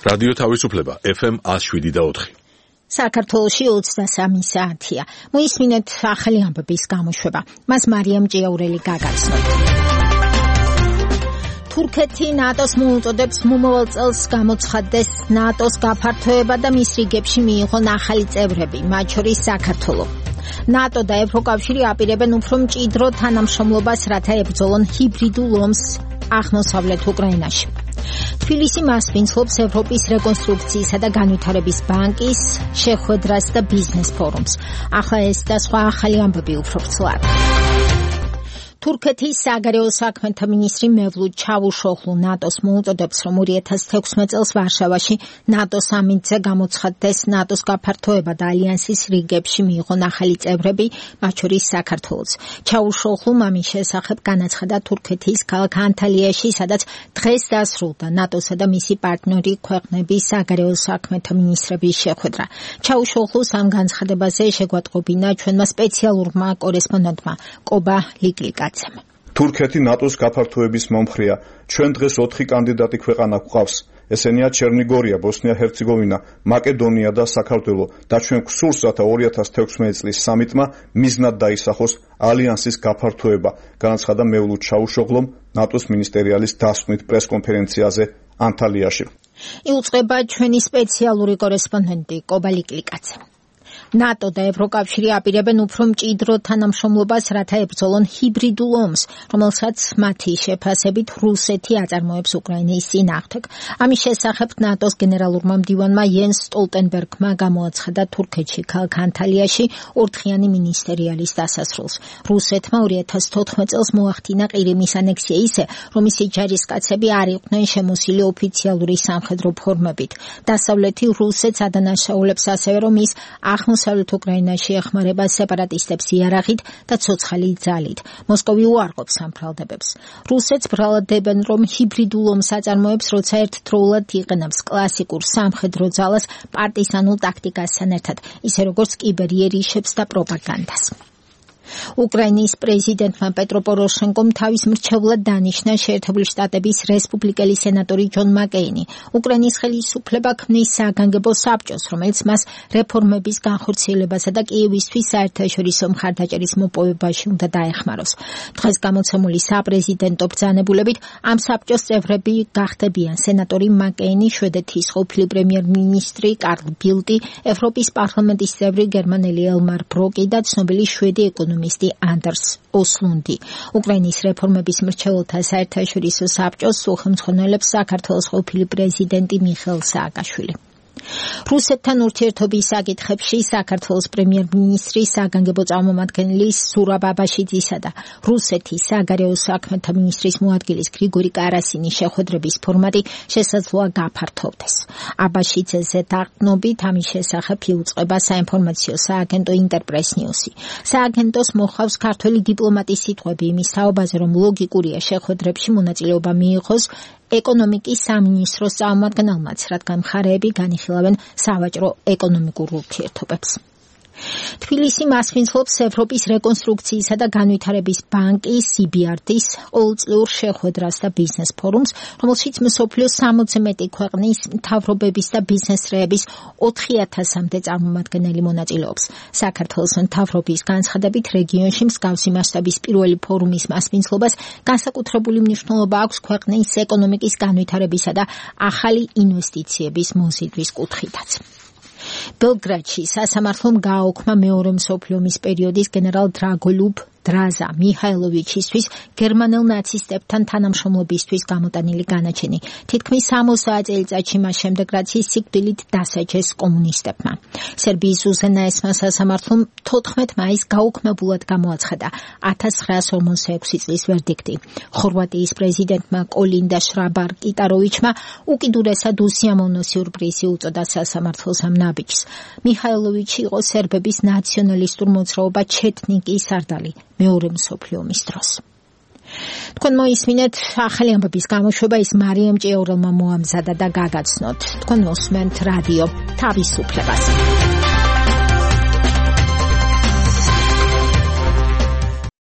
რადიო თავისუფლება FM 107.4. საქართველოში 23 საათია. მოისმინეთ ახალი ამბების გამოშვება. მას მარიამ ჭიაურელი გაგაცნოთ. თურქეთი ნატოს მოუწოდებს მომავალ წელს გამოცხადდეს ნატოს გაფართოება და მის რიგებში მიიღონ ახალი წევრები, მათ შორის საქართველო. ნატო და ევროკავშირი აპირებენ უფრო მჭიდრო თანამშრომლობას, რათა ებრძოლონ ჰიბრიდულ ომს აღმოსავლეთ უკრაინაში. თბილისი მასპინძლობს ევროპის რეკონსტრუქციისა და განვითარების ბანკის შეხვედრას და ბიზნეს ფორუმს. ახლა ეს და სხვა ახალი ამბები უფრო ვრცლად. თურქეთის საგარეო საქმეთა მინისტრი მევლუდ ჩავუშოღლუ ნატოს მოუწოდებს, რომ 2016 წელს ვარშავაში ნატოს სამინდზე გამოცხადდეს ნატოს გაფართოება და ალიანსის რიგებში მიიღონ ახალი წევრები, მათ შორის საქართველოც. ჩავუშოღლუმ ამის შესახებ განაცხადა თურქეთის ქალაქ ანტალიაში, სადაც დღეს დასრულდა ნატოსა და მისი პარტნიორი ქვეყნების საგარეო საქმეთა მინისტრების შეხვედრა. ჩავუშოღლუს ამ განცხადებაზე შეგვატყობინა ჩვენმა სპეციალურმა კორესპონდენტმა კობა ლიკლიკა. თურქეთი ნატოს გაფართოების მომხრეა. ჩვენ დღეს 4 კანდიდატი ქვეყანა გვყავს. ესენია ჩერნიგორია, ბოსნია-ჰერცეგოვინა, მაკედონია და საქართველო. და ჩვენ გვსურს, რათა 2016 წლის სამიტმა მიზნად დაისახოს ალიანსის გაფართოება, განაცხადა მევლუდ ჩავუშოღლუმ ნატოს მინისტერიალის დასკვნით პრესკონფერენციაზე ანტალიაში. იუწყება ჩვენი სპეციალური კორესპონდენტი კობა ლიკლიკაცე. ნატო და ევროკავშირი აპირებენ უფრო მჭიდრო თანამშრომლობას, რათა ებრძოლონ ჰიბრიდულ ომს, რომელსაც მათი შეფასებით რუსეთი აწარმოებს უკრაინის წინააღმდეგ. ამის შესახებ ნატოს გენერალურმა მდივანმა იენს სტოლტენბერგმა გამოაცხადა თურქეთში ქალაქ ანტალიაში ორდღიანი მინისტერიალის დასასრულს. რუსეთმა 2014 წელს მოახდინა ყირიმის ანექსია ისე, რომ მისი ჯარისკაცები არ იყვნენ შემოსილი ოფიციალური სამხედრო ფორმებით. დასავლეთი რუსეთს ადანაშაულებს ასევე, რომ ის აღმოსავლეთ უკრაინაში ეხმარება სეპარატისტებს იარაღით და ცოცხალი ძალით. მოსკოვი უარყოფს ამ ბრალდებებს. რუსეთს ბრალდებენ, რომ ჰიბრიდულ ომს აწარმოებს, როცა ერთდროულად იყენებს კლასიკურ სამხედრო ძალას პარტიზანულ ტაქტიკასთან ერთად, ისე როგორც კიბერიერიშებს და პროპაგანდას. უკრაინის პრეზიდენტმა პეტრო პოროშენკომ თავის მრჩევლად დანიშნა შეერთებული შტატების რესპუბლიკელი სენატორი ჯონ მაკეინი. უკრაინის ხელისუფლება ქმნის საგანგებო საბჭოს, რომელიც მას რეფორმების განხორციელებასა და კიევისთვის საერთაშორისო მხარდაჭერის მოპოვებაში უნდა დაეხმაროს. დღეს გამოცემული საპრეზიდენტო ბრძანებულებით ამ საბჭოს წევრები გახდებიან სენატორი მაკეინი, შვედეთის ყოფილი პრემიერ-მინისტრი კარლ ბილტი, ევროპის პარლამენტის წევრი გერმანელი ელმარ ბროკი და ცნობილი შვედი ეკონომისტი ანდერს ოსლუნდი. უკრაინის რეფორმების მრჩეველთა საერთაშორისო საბჭოს უხელმძღვანელობს საქართველოს ყოფილი პრეზიდენტი მიხეილ სააკაშვილი. რუსეთთან ურთიერთობის საკითხებში საქართველოს პრემიერ-მინისტრი საგანგებო წარმომადგენელი სურაბ აბაშიძისა და რუსეთის საგარეო საქმეთა მინისტრის მოადგილის გრიგორი კარასინის შეხვედრების ფორმატი შესაძლოა გაფართოვდეს. აბაშიძეზე დაყრდნობით ამის შესახებ იუწყება საინფორმაციო სააგენტო ინტერპრეს ნიუსი. სააგენტოს მოხავს ქართველი დიპლომატის სიტყვები იმის თაობაზე, რომ ლოგიკურია შეხვედრებში მონაწილეობა მიიღოს ეკონომიკის სამინისტროს წარმომადგენელმაც, რადგან მხარეები განიხილავენ სავაჭრო ეკონომიკურ ურთიერთობებს. თბილისი მასპინძლობს ევროპის რეკონსტრუქციისა და განვითარების ბანკის EBRD-ის ყოველწლიურ შეხვედრას და ბიზნეს ფორუმს, რომელშიც მსოფლიოს 60-ზე მეტი ქვეყნის მთავრობების და ბიზნესრეების 4000-მდე წარმომადგენელი მონაწილეობს. საქართველოს მთავრობის განცხადებით რეგიონში მსგავსი მასშტაბის პირველი ფორუმის მასპინძლობას განსაკუთრებული მნიშვნელობა აქვს ქვეყნის ეკონომიკის განვითარებისა და ახალი ინვესტიციების მოზიდვის კუთხითაც. ბელგრადში სასამართლომ გააუქმა მეორე მსოფლიო ომის პერიოდის გენერალ დრაგოლუბ დრაზა მიხაილოვიჩისთვის გერმანელ ნაცისტებთან თანამშრომლობისთვის გამოტანილი განაჩენი. თითქმის 60 წელიწადში მას შემდეგ, რაც ის სიკვდილით დასაჯეს კომუნისტებმა. სერბიის უზენაესმა სასამართლომ 14 მაისს გაუქმებულად გამოაცხადა 1946 წლის ვერდიქტი. ხორვატიის პრეზიდენტმა კოლინდა შრაბარ-კიტაროვიჩმა უკიდურესად უსიამოვნო სიურპრიზი უწოდა სასამართლოს ამ ნაბიჯს. მიხაილოვიჩი იყო სერბების ნაციონალისტურ მოძრაობა ჩეტნიკის სარდალი მეორე მსოფლიო ომის დროს. თქვენ მოისმინეთ ახალი ამბების გამოშვება, ის მარიამ ჭიაურელმა მოამზადა და გაგაცნოთ. თქვენ მოსმენთ რადიო თავისუფლებას.